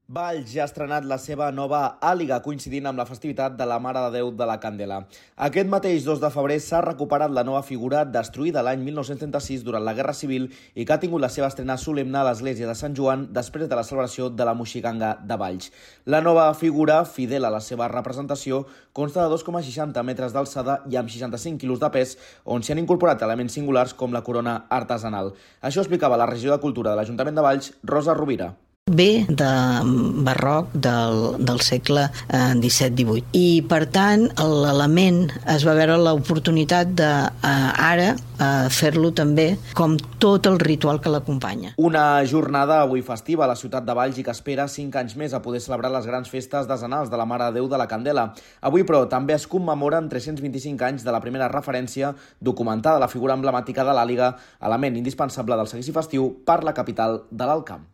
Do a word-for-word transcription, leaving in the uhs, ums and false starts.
Valls ja ha estrenat la seva nova àliga, coincidint amb la festivitat de la Mare de Déu de la Candela. Aquest mateix dos de febrer s'ha recuperat la nova figura destruïda l'any mil nou-cents trenta-sis durant la Guerra Civil i que ha tingut la seva estrena solemne a l'església de Sant Joan després de la celebració de la Moixiganga de Valls. La nova figura, fidel a la seva representació, consta de dos coma seixanta metres d'alçada i amb seixanta-cinc quilos de pes, on s'hi han incorporat elements singulars com la corona artesanal. Això explicava la regidora de Cultura de l'Ajuntament de Valls, Rosa Rovira. Ve de barroc del, del segle disset divuit. I, per tant, l'element es va veure l'oportunitat de eh, ara eh, fer-lo també com tot el ritual que l'acompanya. Una jornada avui festiva a la ciutat de Valls i que espera cinc anys més a poder celebrar les grans festes desenals de la Mare de Déu de la Candela. Avui, però, també es commemoren tres-cents vint-i-cinc anys de la primera referència documentada a la figura emblemàtica de l'àliga, element indispensable del seguici festiu per la capital de l'Alt Camp.